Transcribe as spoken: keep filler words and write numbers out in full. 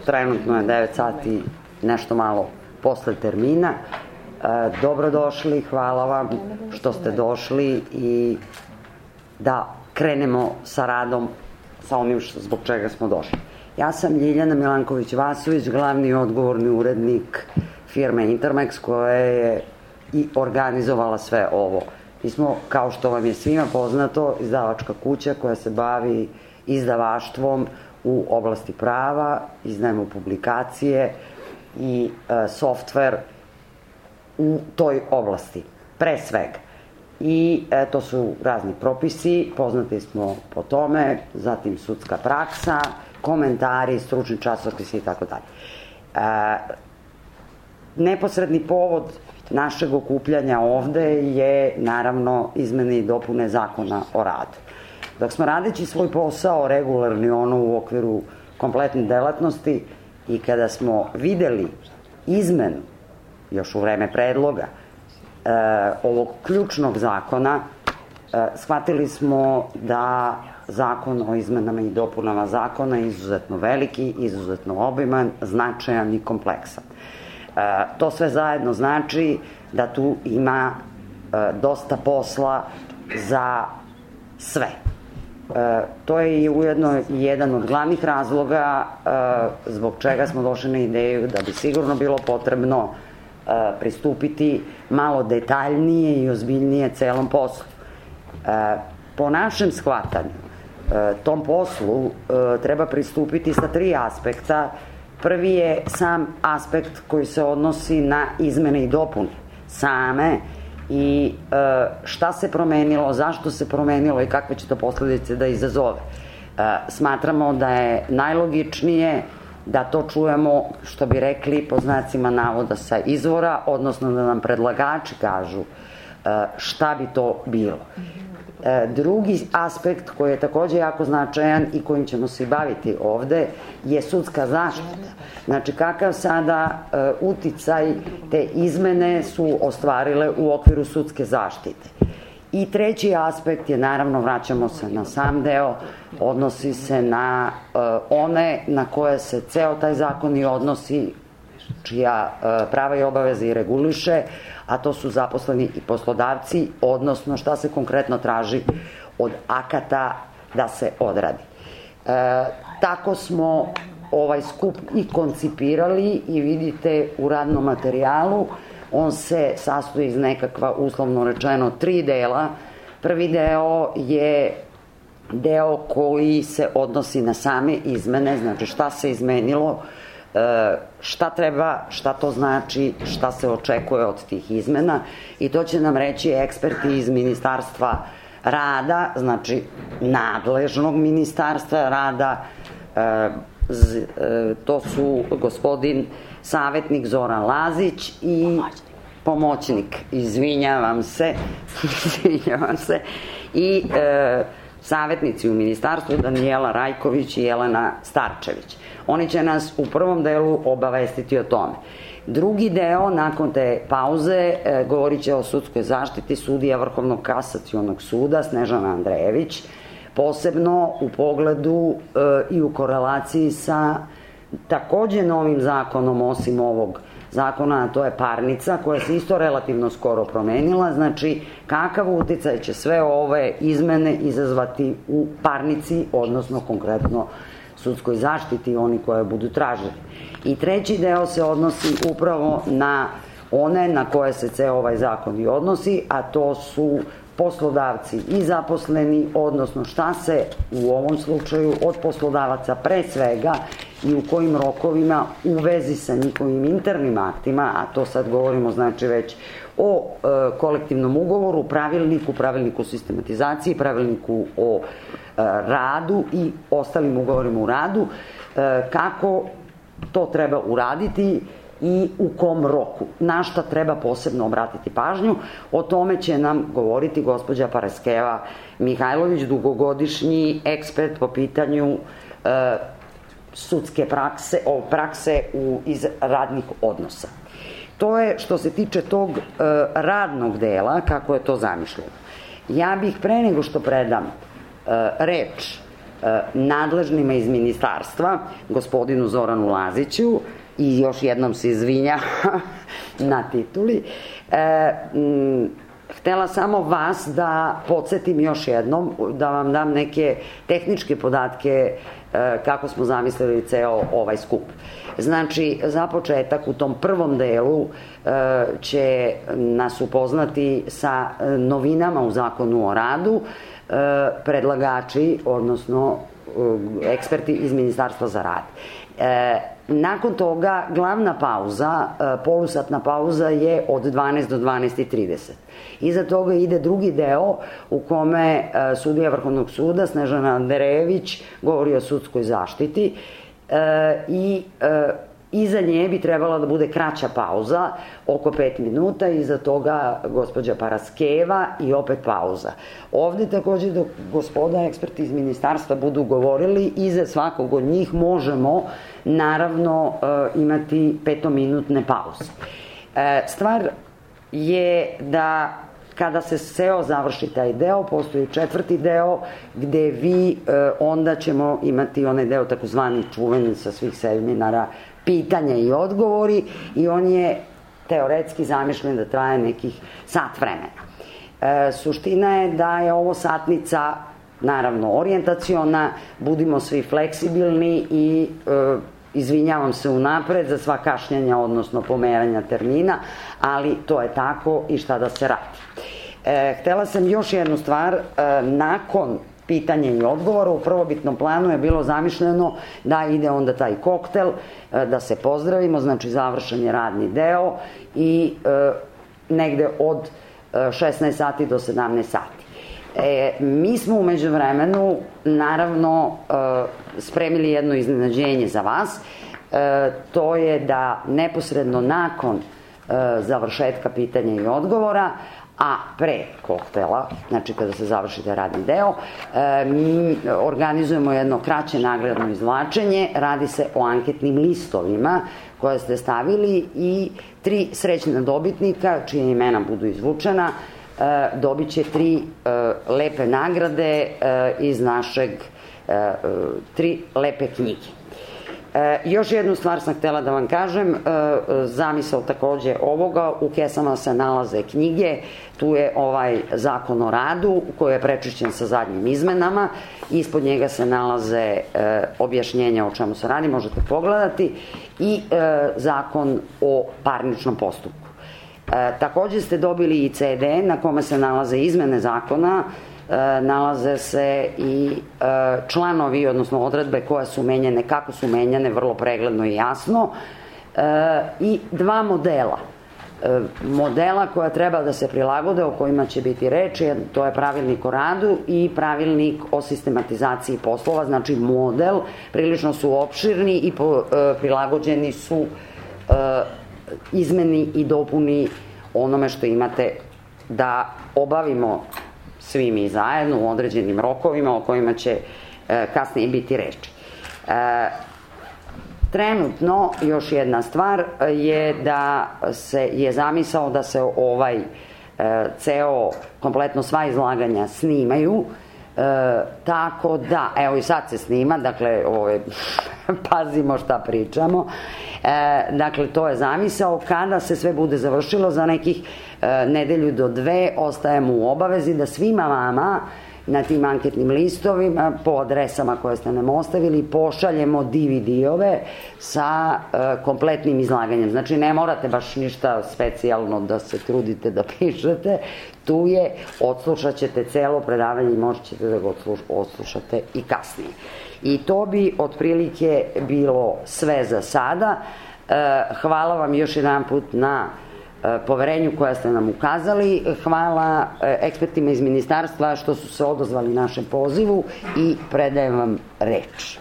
trenutno je devet sati nešto malo posle termina. Dobrodošli, hvala vam što ste došli i da krenemo sa radom sa onim zbog čega smo došli. Ja sam Ljiljana Milanković-Vasović, glavni i odgovorni urednik firme Intermex koja je i organizovala sve ovo. Mi smo, kao što vam je svima poznato, izdavačka kuća koja se bavi izdavaštvom u oblasti prava, izdajemo publikacije i e, softver u toj oblasti, pre svega. I e, to su razni propisi, poznati smo po tome, zatim sudska praksa, komentari, stručni časopisi i tako dalje. Neposredni povod našeg okupljanja ovde je naravno izmene i dopune Zakona o radu. Dok smo radeći svoj posao regularni ono u okviru kompletne delatnosti i kada smo videli izmenu još u vreme predloga e, ovog ključnog zakona, e, shvatili smo da zakon o izmenama i dopunama zakona je izuzetno veliki, izuzetno obiman, značajan i kompleksan. E, to sve zajedno znači da tu ima e, dosta posla za sve. E, to je i ujedno jedan od glavnih razloga e, zbog čega smo došli na ideju da bi sigurno bilo potrebno e, pristupiti malo detaljnije i ozbiljnije celom poslu. E, po našem shvatanju e, tom poslu e, treba pristupiti sa tri aspekta. Prvi je sam aspekt koji se odnosi na izmene i dopune same i e, šta se promenilo, zašto se promenilo i kakve će to posledice da izazove. E, smatramo da je najlogičnije da to čujemo, što bi rekli, po znacima navoda sa izvora, odnosno da nam predlagači kažu e, šta bi to bilo. E, drugi aspekt koji je takođe jako značajan i kojim ćemo se baviti ovde je sudska zaštita. Znači kakav sada e, uticaj te izmene su ostvarile u okviru sudske zaštite. I treći aspekt je, naravno, vraćamo se na sam deo, odnosi se na e, one na koje se ceo taj zakon i odnosi, čija e, prava i obaveze i reguliše, a to su zaposleni i poslodavci, odnosno šta se konkretno traži od akata da se odradi. E, tako smo ovaj skup i koncipirali i vidite u radnom materijalu, on se sastoji iz nekakva, uslovno rečeno, tri dela. Prvi deo je deo koji se odnosi na same izmene, znači šta se izmenilo, šta treba, šta to znači, šta se očekuje od tih izmena i to će nam reći eksperti iz Ministarstva rada, znači nadležnog Ministarstva rada, to su gospodin savetnik Zoran Lazić i pomoćnik, izvinjavam se, izvinjavam se, i e, savetnici u ministarstvu Danijela Rajković i Jelena Starčević. Oni će nas u prvom delu obavestiti o tome. Drugi deo, nakon te pauze, e, govorit će o sudskoj zaštiti sudija Vrhovnog kasacionog suda Snežana Andrejević, posebno u pogledu e, i u korelaciji sa takođe novim zakonom, osim ovog zakona, a to je parnica, koja se isto relativno skoro promenila, znači kakav uticaj će sve ove izmene izazvati u parnici, odnosno konkretno sudskoj zaštiti, oni koje budu tražili. I treći deo se odnosi upravo na one na koje se ceo ovaj zakon i odnosi, a to su poslodavci i zaposleni, odnosno šta se u ovom slučaju od poslodavaca pre svega i u kojim rokovima u vezi sa njihovim internim aktima, a to sad govorimo znači već o e, kolektivnom ugovoru, pravilniku, pravilniku o sistematizaciji, pravilniku o e, radu i ostalim ugovorima u radu, e, kako to treba uraditi i u kom roku, na šta treba posebno obratiti pažnju. O tome će nam govoriti gospođa Paraskeva Mihajlović, dugogodišnji ekspert po pitanju e, sudske prakse, o prakse u, iz radnih odnosa. To je što se tiče tog e, radnog dela, kako je to zamišljeno. Ja bih pre nego što predam e, reč nadležnima iz ministarstva, gospodinu Zoranu Laziću, i još jednom se izvinja na tituli. Htela samo vas da podsjetim još jednom, da vam dam neke tehničke podatke kako smo zamislili ceo ovaj skup. Znači, za početak u tom prvom delu će nas upoznati sa novinama u Zakonu o radu predlagači, odnosno eksperti iz Ministarstva za rad. Nakon toga glavna pauza, polusatna pauza je od dvanaest do dvanaest i trideset. Iza toga ide drugi deo u kome sudija Vrhovnog suda Snežana Anderejević govori o sudskoj zaštiti i iza nje bi trebala da bude kraća pauza, oko pet minuta, iza toga gospođa Paraskeva i opet pauza. Ovde takođe dok gospoda eksperti iz ministarstva budu govorili, iza svakog od njih možemo naravno imati petominutne pauze. Stvar je da kada se seo završi taj deo, postoji četvrti deo gde vi, onda ćemo imati onaj deo takozvani čuveni sa svih seminara, pitanja i odgovori, i on je teoretski zamišljen da traje nekih sat vremena. Suština je da je ovo satnica, naravno, orijentaciona, budimo svi fleksibilni i izvinjavam se unapred za sva kašnjenja, odnosno pomeranja termina, ali to je tako i šta da se radi. Htela sam još jednu stvar, nakon pitanja i odgovora, u prvobitnom planu je bilo zamišljeno da ide onda taj koktel, da se pozdravimo, znači završen je radni deo i negde od šesnaest sati do sedamnaest sati. Mi smo u međuvremenu, naravno, spremili jedno iznenađenje za vas, to je da neposredno nakon završetka pitanja i odgovora, a pre koktela, znači kada se završi taj radni deo, mi organizujemo jedno kraće nagradno izvlačenje, radi se o anketnim listovima koje ste stavili i tri srećna dobitnika, čije imena budu izvučena, dobit će tri lepe nagrade iz našeg, tri lepe knjige. Još jednu stvar sam htela da vam kažem, zamisao takođe ovoga, u kesama se nalaze knjige, tu je ovaj Zakon o radu koji je prečišćen sa zadnjim izmenama, ispod njega se nalaze objašnjenja o čemu se radi, možete pogledati, i Zakon o parničnom postupku. Takođe ste dobili i ce de na kome se nalaze izmene zakona, nalaze se i članovi, odnosno odredbe koje su menjene, kako su menjane, vrlo pregledno i jasno, i dva modela. Modela koja treba da se prilagode, o kojima će biti reči, to je pravilnik o radu i pravilnik o sistematizaciji poslova, znači model, prilično su opširni i prilagođeni su izmeni i dopuni onome što imate da obavimo svi mi zajedno u određenim rokovima o kojima će kasnije biti reči. Trenutno, još jedna stvar je da se je zamisao da se ovaj ceo, kompletno sva izlaganja snimaju, tako da, evo i sad se snima, dakle, pazimo šta pričamo, dakle, to je zamisao, kada se sve bude završilo za nekih nedelju do dve, ostajemo u obavezi da svima vama na tim anketnim listovima, po adresama koje ste nam ostavili, pošaljemo de ve de-ove sa kompletnim izlaganjem. Znači, ne morate baš ništa specijalno da se trudite da pišete, tu je, odslušat ćete celo predavanje i možete ćete da ga odslušate i kasnije. I to bi otprilike bilo sve za sada. Hvala vam još jedan put na poverenju koja ste nam ukazali. Hvala ekspertima iz ministarstva što su se odazvali našem pozivu i predajem vam reč.